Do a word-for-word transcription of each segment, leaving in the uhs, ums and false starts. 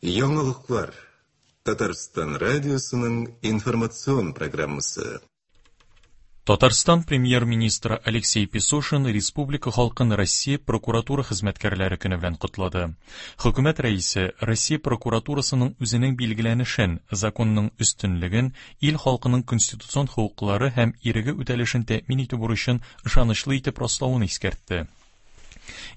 Яңалыклар. Татарстан радиосының информацион программасы. Татарстан премьер-министры Алексей Песошин республика халкын Россия прокуратура хезмәткәрләре көне белән котлады. Хөкүмәт рәисе Россия прокуратурасының үзенең билгеләнешен, законның өстенлеген, ил халкының конституцион хокуклары һәм иреге үтәлешен тәэмин итү бурычын ышанычлы итеп раславын искәртте.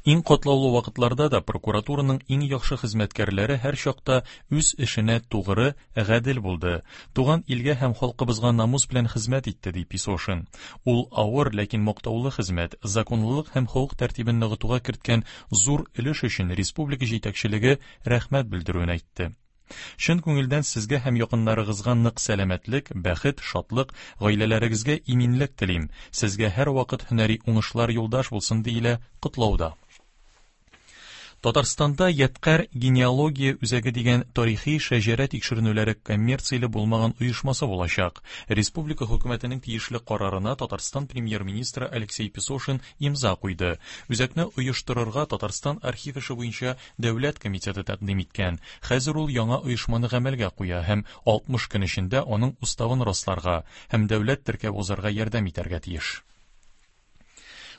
Иң катлаулы вакытларда да прокуратураның иң яхшы хезмәткәрләре һәр чакта үз эшенә тугры, гадел булды. Туган илгә һәм халкыбызга намус белән хезмәт итте, ди Песошин. Ул авыр, ләкин мактаулы хезмәт, законлылык һәм хокук тәртибен ныгытуга керткән зур өлеш өчен республика җитәкчелеге рәхмәт белдерүен әйтте. Чын күңелдән сезгә һәм якыннарыгызга нык сәламәтлек, бәхет, шатлык, гаиләләрегезгә иминлек телим. Сезгә һәр вакыт һөнәри уңышлар юлдаш булсын, диелә котлауда. Татарстанда Ядкәр генеалогия үзәге дигән тарихи шәҗәрә тикшеренүләре коммерцияле булмаган оешмасы булачак. Республика хөкүмәтенең тиешле карарына Татарстан премьер-министры Алексей Песошин имза куйды. Үзәкне оештырырга Татарстан архив эше буенча дәүләт комитеты тәкъдим иткән. Хәзер ул яңа оешманы гамәлгә куя һәм алтмыш көн эчендә аның уставын расларга һәм дәүләт теркәп узарга ярдәм итәргә тиеш.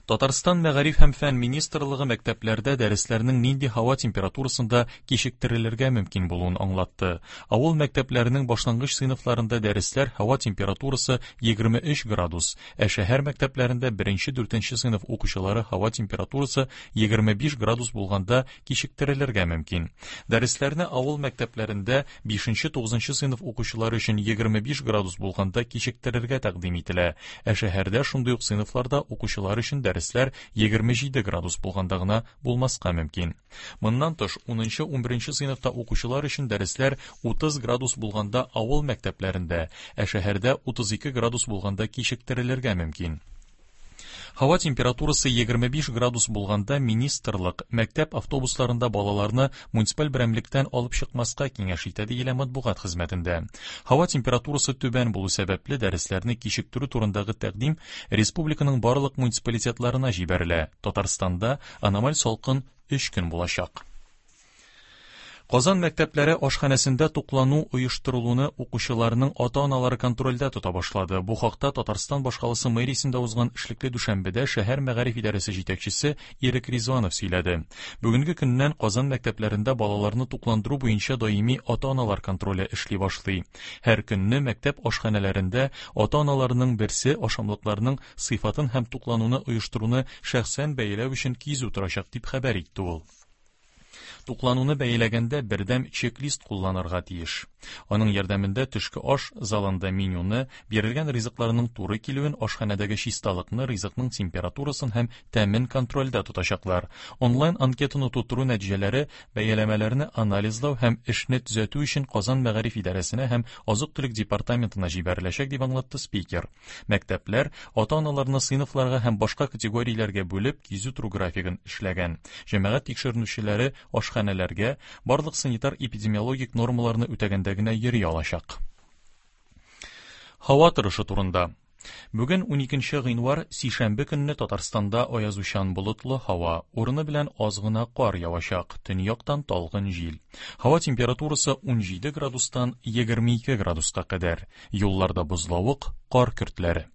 Татарстан Мәгариф һәм фән министрлыгы мәктәпләрдә дәресләрнең нинди һава температурасында кичектерелергә мөмкин булуын аңлатты. Авыл мәктәпләренең башлангыч сыйныфларында дәресләр һава температурасы егерме өч градус, ә шәһәр мәктәпләрендә беренче-дүртенче сыйныф укучылары һава температурасы егерме биш градус булганда кичектерелергә мөмкин. Дәресләрне авыл мәктәпләрендә бишенче-тугызынчы сыйныф укучылары өчен егерме биш градус булганда кичектерергә тәкъдим ителә, ә шәһәрдә шундый ук сыйныфларда укучылар өчен дәресләр егерме җиде градус булганда гына булмаска мөмкин. Моннан тыш, унынчы-унберенче сыйныфта укучылар өчен дәресләр утыз градус булганда авыл мәктәпләрендә, ә шәһәрдә утыз ике градус булганда кичектерелергә мөмкин. Һава температурасы егерме биш градус булганда министрлык мәктәп автобусларында балаларны муниципаль берәмлектән алып чыкмаска киңәш итә, диелә матбугат хезмәтендә. Һава температурасы түбән булу сәбәпле дәресләрне кичектерү турындагы тәкъдим республиканың барлык муниципалитетларына җибәрелә. Татарстанда аномаль салкын өч көн булачак. Казан мәктәпләре ашханәсендә туклану оештырылуны укучыларның ата-аналары контрольдә тота башлады. Бу хакта Татарстан башкаласы мэриясендә узган эшлекле дүшәмбедә шәһәр мәгариф идарәсе җитәкчесе Ирек Ризванов сөйләде. Бүгенге көннән Казан мәктәпләрендә балаларны тукландыру буенча даими ата-аналар контроле эшли башлый. Һәр көнне мәктәп ашханәләрендә ата-аналарның берсе ашамлыкларның сыйфатын һәм туклануны оештыруны шәхсән бәяләү өчен кизү торачак, дип хәбәр итте ул. Туклануны бәяләгәндә бердәм чек-лист кулланырга тиеш. Аның ярдәмендә төшке аш залында менюны, бирелгән ризыкларның туры килүен, ашханәдәге чисталыкны, ризыкның температурасын һәм тәмен контрольдә тотачаклар. Онлайн анкетаны тутыру нәтиҗәләре бәяләмәләрне анализлау һәм эшне төзәтү өчен Казан мәгариф идарәсенә һәм азык-төлек департаментына җибәреләчәк, дип аңлатты спикер. Мәктәпләр ата-аналарны сыйныфларга һәм башка категорияләргә бүлеп кизү тору графигын эшләгән. Җәмәгать тикшеренүчеләре ашханәләргә барлык санитар-эпидемиологик нормаларны үтәгәндә генә йөри алачак. Һава торышы турында. Бүген уникенче гыйнвар, сишәмбе көнне Татарстанда аязучан болытлы һава, урыны белән аз гына кар явачак, төньяктан талгын җил. Һава температурасы унҗиде градустан егерме ике градуска кадәр. Юлларда бозлавык, кар көртләре.